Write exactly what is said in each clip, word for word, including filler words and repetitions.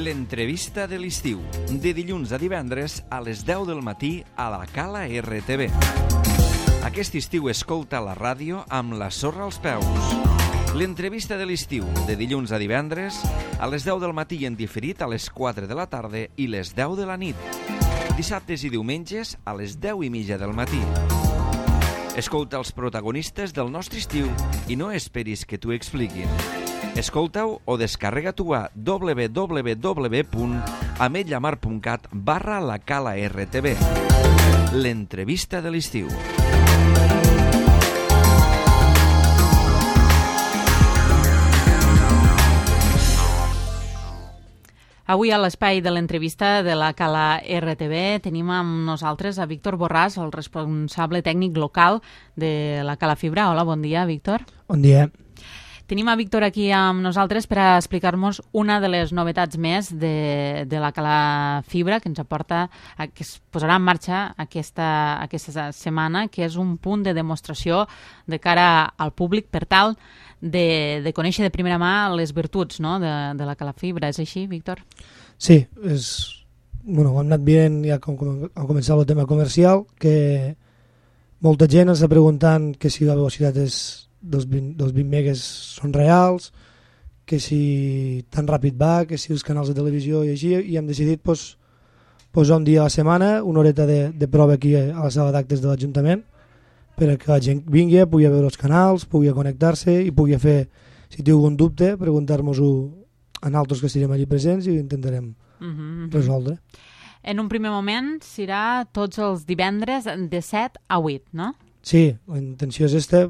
L'entrevista de l'estiu, de dilluns a divendres a les deu del matí a la Cala R T V. Aquest estiu escolta la ràdio amb la sorra als peus. L'entrevista de l'estiu, de dilluns a divendres a les deu del matí en diferit a les quatre de la tarda i les deu de la nit. Dissabtes i diumenges a les deu i mitja del matí. Escolta els protagonistes del nostre estiu i no esperis que t'ho expliquin. Escolta-ho o descarrega-t'ho a w w w punt ametlllamar punt cat barra la Cala R T V. L'entrevista de l'estiu. Avui a l'espai de l'entrevista de la Cala R T V tenim amb nosaltres a Víctor Borràs, el responsable tècnic local de la Cala Fibra. Hola, bon dia, Víctor. Bon dia. Tenim a Víctor aquí amb nosaltres per a explicar-nos una de les novetats més de, de la Cala Fibra que ens aporta, que es posarà en marxa aquesta, aquesta setmana, que és un punt de demostració de cara al públic per tal de, de conèixer de primera mà les virtuts, no?, de, de la Cala Fibra. És així, Víctor? Sí, és, bueno, ho hem anat veient ja com, com ha començat el tema comercial, que molta gent ens està preguntant que si la velocitat és dels vint, dels vint megues són reals, que si tan ràpid va, que si els canals de televisió i així, i hem decidit pues, posar un dia a la setmana, una horeta de, de prova aquí a la sala d'actes de l'Ajuntament, per a que la gent vingui, pugui veure els canals, pugui connectar-se i pugui fer, si té algun dubte, preguntar-nos-ho a nosaltres que estarem allí presents i ho intentarem uh-huh. resoldre. En un primer moment serà tots els divendres de set a vuit, no? Sí, la intenció és esta.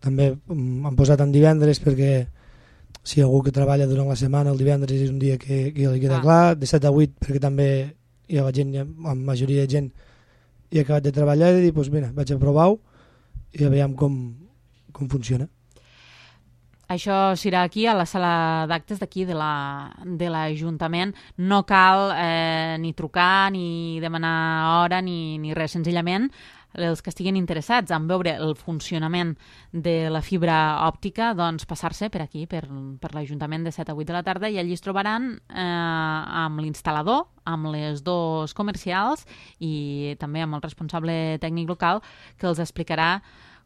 També han posat en divendres perquè si algú que treballa durant la setmana, el divendres és un dia que, que li queda ah. clar, de set a vuit perquè també hi ha la gent, la majoria de gent hi ha acabat de treballar i dir, doncs mira, vaig a provar-ho i a veure com, com funciona. Això serà aquí, a la sala d'actes d'aquí de l'Ajuntament. No cal eh, ni trucar, ni demanar hora, ni, ni res. Senzillament, els que estiguin interessats en veure el funcionament de la fibra òptica, doncs passar-se per aquí, per, per l'Ajuntament de set a vuit de la tarda, i allí es trobaran eh, amb l'instal·lador, amb les dos comercials i també amb el responsable tècnic local que els explicarà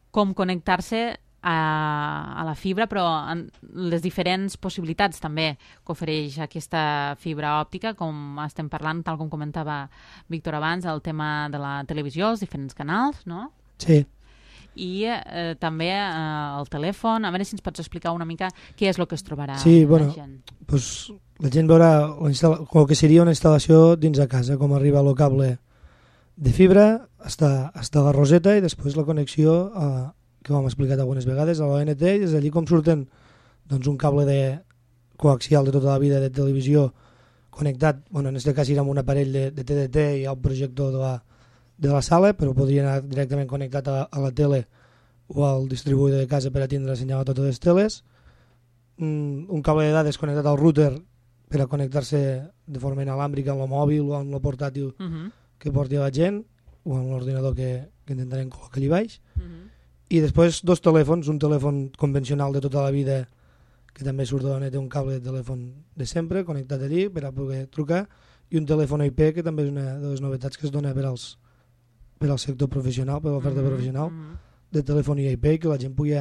com connectar-se A, a la fibra, però en les diferents possibilitats també que ofereix aquesta fibra òptica, com estem parlant, tal com comentava Víctor abans, el tema de la televisió, els diferents canals, no? Sí. I eh, també eh, el telèfon. A veure si ens pots explicar una mica què és el que es trobarà sí, la bueno, gent. Pues, la gent veurà el que seria una instal·lació dins de casa, com arriba el cable de fibra, està, està la roseta i després la connexió a que ho hem explicat algunes vegades, a l'O N T, i és allí com surten doncs, un cable de coaxial de tota la vida de televisió connectat, bueno, en aquest cas era amb un aparell de, de T D T i un projector de la, de la sala, però podria anar directament connectat a, a la tele o al distribuïdor de casa per a tindre senyal a totes les teles, un, un cable de dades connectat al router per a connectar-se de forma inalàmbrica amb el mòbil o amb el portàtil uh-huh. que porti a la gent o amb l'ordinador que, que intentarem col·locar allà baix. Uh-huh. I després dos telèfons, un telèfon convencional de tota la vida que també surt d'on té un cable de telèfon de sempre connectat allí per a poder trucar, i un telèfon I P que també és una de les novetats que es dona per als, per al sector professional, per l'oferta mm-hmm. professional de telefonia I P, que la gent pugui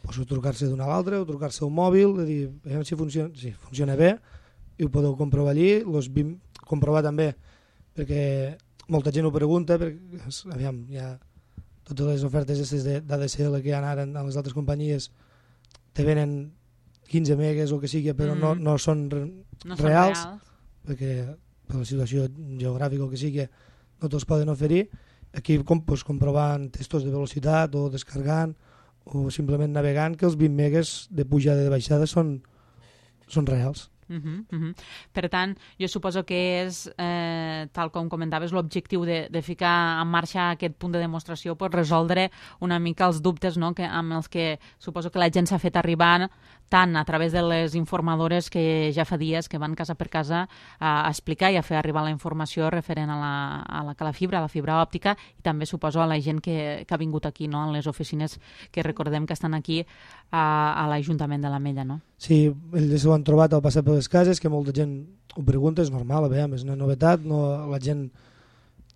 pues, trucar-se d'una a l'altra o trucar-se al mòbil, de dir, veiem si funciona, si funciona bé i ho podeu comprovar allí, los bim, comprovar també perquè molta gent ho pregunta, perquè aviam, hi ha totes les ofertes d'A D S L que hi ha ara en les altres companyies te venen quinze megues o que sigui, però mm. no, no són re, no reals, són reals, perquè per la situació geogràfica o que sigui no te'ls poden oferir. Aquí com, pues, comprovant testos de velocitat o descargant o simplement navegant que els vint megues de pujada i de baixada són, són reals. Uh-huh, uh-huh. Per tant, jo suposo que és, eh, tal com comentaves, l'objectiu de, de ficar en marxa aquest punt de demostració per resoldre una mica els dubtes, no?, que, amb els que suposo que la gent s'ha fet arribar tant a través de les informadores que ja fa dies que van casa per casa a, a explicar i a fer arribar la informació referent a la, a la Cala Fibra, a la fibra òptica, i també suposo a la gent que, que ha vingut aquí, no?, en les oficines que recordem que estan aquí a, a l'Ajuntament de l'Ametlla, no? Sí, ells s'ho han trobat al passar per per les cases, que molta gent ho pregunta, és normal, a veure, és una novetat, no, la gent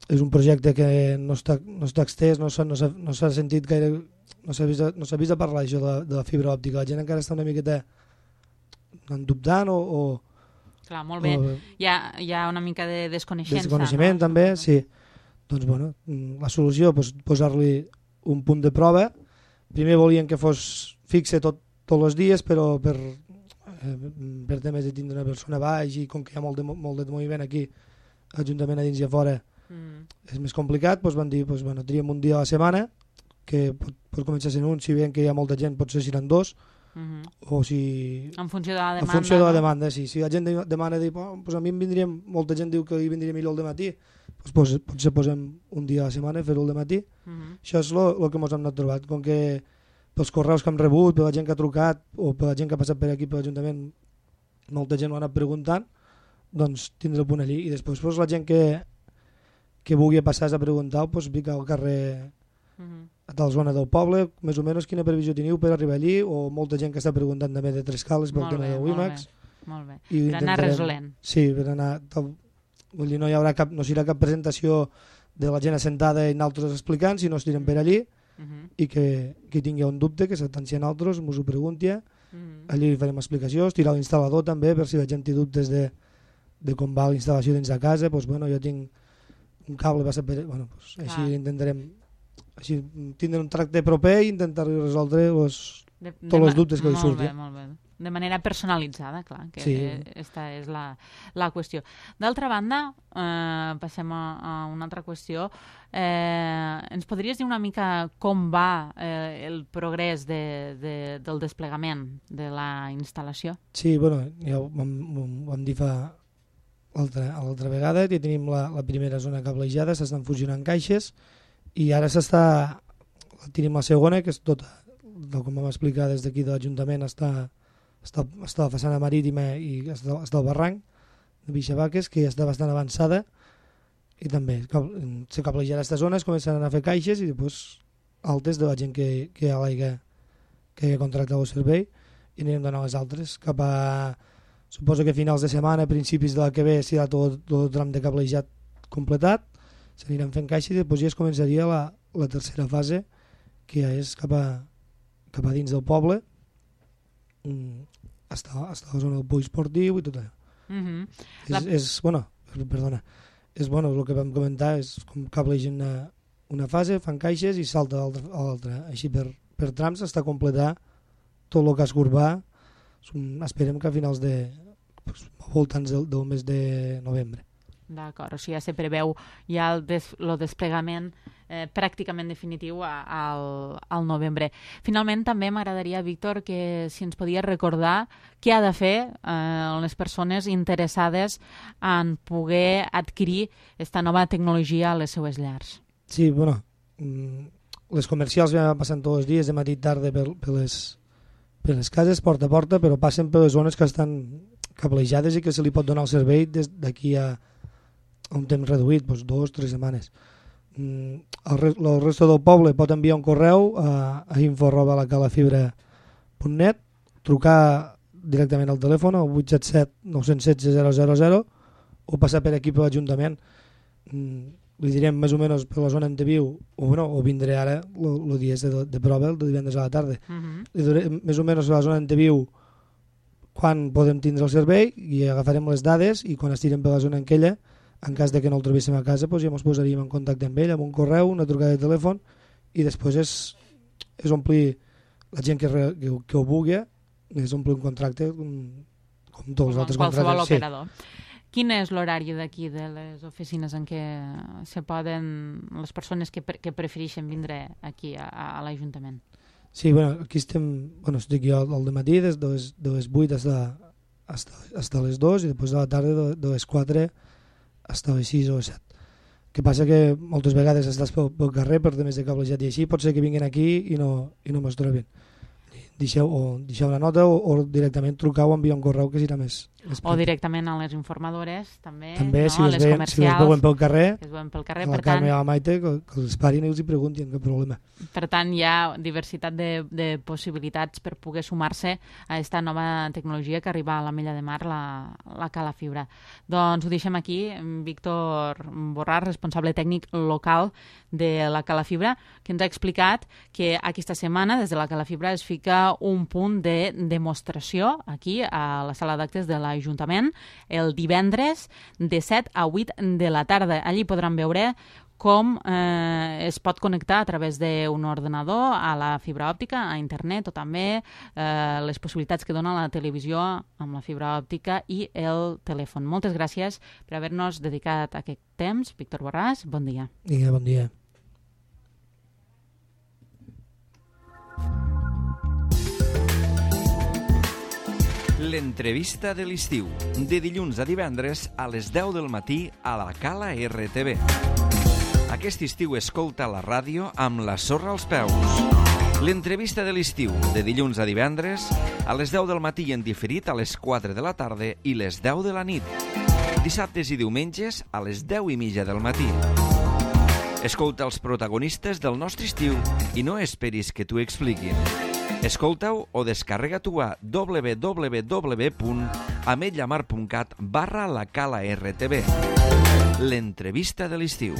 és un projecte que no està, no està extès, no s'ha no no sentit gaire, no s'ha vist, no vist a parlar això de, de la fibra òptica, la gent encara està una miqueta dubtant o, o clar, molt bé, o, hi, ha, hi ha una mica de desconeixença. Desconeixement, no? També, sí. Doncs, bueno, la solució, pues, posar-li un punt de prova. Primer volien que fos fixe tot, tots els dies, però per, eh, per temes de tindre una persona baix i com que hi ha molt de, molt de moviment aquí, ajuntament a dins i a fora, mm. és més complicat, doncs van dir, doncs, bueno, tríem un dia a la setmana, que pot, pot començar sent un, si veiem que hi ha molta gent, potser seran dos, mm-hmm. o si... En funció de la demanda. En funció de la no? demanda, sí. Si la gent demana, dir, oh, doncs a mi em vindria, molta gent diu que hi vindria millor el dematí, doncs, pues, potser posem un dia a la setmana, fer-ho el dematí. Mm-hmm. Això és el que ens hem anat trobat. Com que pels correus que hem rebut, per la gent que ha trucat, o per la gent que ha passat per aquí, per l'Ajuntament, molta gent ho ha anat preguntant, doncs tindre el punt allí. I després pues, la gent que, que vulgui passar a preguntar, doncs pica al carrer mm-hmm. a tal zona del poble, més o menys quina previsió teniu per arribar allí, o molta gent que està preguntant també de tres cales pel tema de WiMAX. Molt bé, per anar resolent. Sí, per anar... Tal, vull dir, no hi haurà cap, no serà cap presentació de la gent assentada i nosaltres explicant, sinó estirem per allí mm-hmm. i que qui tingui un dubte, que s'atenci a nosaltres, mos ho pregunti, mm-hmm. allí farem explicació, estirar l'instal·lador també, per si la gent té dubtes de, de com va la instal·lació dins de casa, doncs, bueno, jo tinc un cable passat per... Bueno, doncs, així ah. intentarem així, tindre un tracte proper i intentar resoldre los, de, de tots els dubtes que hi surtin. Molt bé, molt bé. De manera personalitzada, clar, que sí. aquesta és la, la qüestió. D'altra banda, eh, passem a, a una altra qüestió. Eh, ens podries dir una mica com va eh, el progrés de, de, del desplegament de la instal·lació? Sí, bueno, ja ho vam, ho vam dir fa l'altra vegada, ja tenim la, la primera zona cablejada, s'estan fusionant caixes i ara s'està, tenim la segona, que és tota, com vam explicar des d'aquí de l'Ajuntament, està està, està la façana marítima i està, està el barranc de Bixavaques, que ja està bastant avançada, i també se cablejarà aquesta zona, es començaran a fer caixes i després altes de la gent que, que ha l'aigua que ha contractat el servei, i anirem donant les altres cap a, suposo que a finals de setmana, a principis de la que ve serà tot, tot el tram de cablejat completat, s'aniran fent caixes i després ja es començaria la, la tercera fase, que ja és cap a, cap a dins del poble, està, està a la zona del poliesportiu i tot allò. Mm-hmm. és, la... és, bueno, perdona, és bueno, el que vam comentar és com cablegen una, una fase, fan caixes i salta a l'altra, així per, per trams està a completar tot el casc urbà. Esperem que a finals de pues, voltants del, del mes de novembre. D'acord, o sigui, ja se preveu ja el, des, el desplegament eh, pràcticament definitiu a, al, al novembre. Finalment, també m'agradaria, Víctor, que si ens podies recordar què ha de fer eh, les persones interessades en poder adquirir aquesta nova tecnologia a les seues llars. Sí, bueno, les comercials ja passen tots els dies, de matí i tarda, per, per, les, per les cases, porta a porta, però passen per les zones que estan cablejades i que se li pot donar el servei des d'aquí a un temps reduït, doncs dos o tres setmanes. El, el resto del poble pot enviar un correu a, a info arroba la calafibra punt net, trucar directament al telèfon al vuit set set nou set set zero zero zero o passar per aquí per l'Ajuntament. Li direm més o menys per la zona on te viu, o, bueno, o vindré ara el dia de, de prova, el de divendres a la tarda. Uh-huh. Li diré més o menys per la zona on te viu quan podem tindre el servei i agafarem les dades i quan estirem per la zona en aquella, en cas de que no el trobéssim a casa, doncs ja ens posaríem en contacte amb ell, amb un correu, una trucada de telèfon, i després és, és omplir la gent que, re, que, que ho vulgui, és omplir un contracte com, com tots els altres contractes. Qualsevol operador. Sí. Quin és l'horari d'aquí de les oficines en què se poden les persones que, pre, que prefereixen vindre aquí a, a l'Ajuntament? Sí, bueno, aquí estem, bueno, estic jo al dematí des de les, de les vuit fins a les dues i després de la tarda de, de les quatre fins a les sis o les set. Que passa que moltes vegades estàs pel, pel carrer per temes de cablejat i així, pot ser que vinguin aquí i no, i no mos trobin. deixeu, o deixeu una nota o, o directament trucau o enviar un correu que serà més, més o directament a les informadores també, també no? si, us les veuen, comercials si us veuen pel carrer, que es veuen pel carrer, a la per tant, Carme i a la Maite que, que els parin i els hi preguntin, cap problema. Per tant, hi ha diversitat de, de possibilitats per poder sumar-se a aquesta nova tecnologia que arriba a la Mella de Mar, la, la Cala Fibra. Doncs ho deixem aquí. Víctor Borràs, responsable tècnic local de la Cala Fibra, que ens ha explicat que aquesta setmana des de la Cala Fibra es fica un punt de demostració aquí a la sala d'actes de l'Ajuntament el divendres de set a vuit de la tarda. Allí podran veure com eh, es pot connectar a través d'un ordenador a la fibra òptica, a internet, o també eh, les possibilitats que dona la televisió amb la fibra òptica i el telèfon. Moltes gràcies per haver-nos dedicat aquest temps. Víctor Borràs, bon dia. Vinga, bon dia. L'entrevista de l'estiu, de dilluns a divendres a les deu del matí a la Cala R T V. Aquest estiu escolta la ràdio amb la sorra als peus. L'entrevista de l'estiu, de dilluns a divendres, a les deu del matí i en diferit a les quatre de la tarda i les deu de la nit. Dissabtes i diumenges a les deu i mitja del matí. Escolta els protagonistes del nostre estiu i no esperis que t'ho expliquin. Escolta-ho o descarrega-t'ho a w w w punt ametlla mar punt cat barra la Cala R T V. L'entrevista de l'estiu.